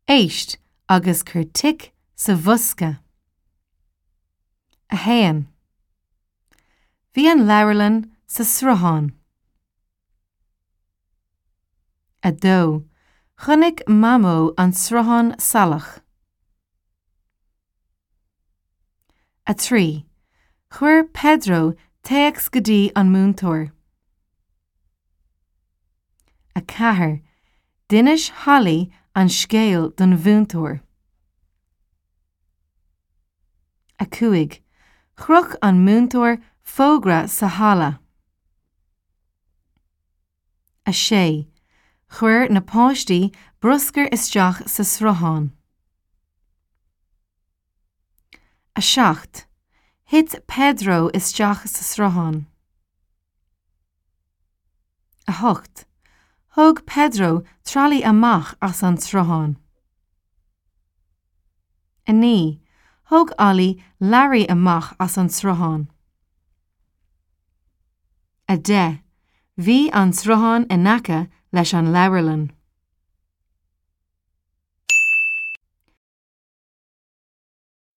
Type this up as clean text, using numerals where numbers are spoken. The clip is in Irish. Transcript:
Éist agus cuir tic sa bhosca. 1. Bhí an leabharlann sa sruthán. 2. Chonaic Mamó an sruthán salach. 3. Chuir Pedro téacs go dtí an múinteoir. 4. D'inis Holly an scéal don mhúinteoir. 5. Chroch an múinteoir fógra sa halla. 6. Chuir na páistí bruscar isteach sa sruthán. 7. Thit Pedro isteach sa sruthán. 8. Thóg Pedro tralaí amach as an sruthán. 9. Thóg Ollie Larry amach as an sruthán. 10. Bhí an sruthán in aice leis an leabharlann.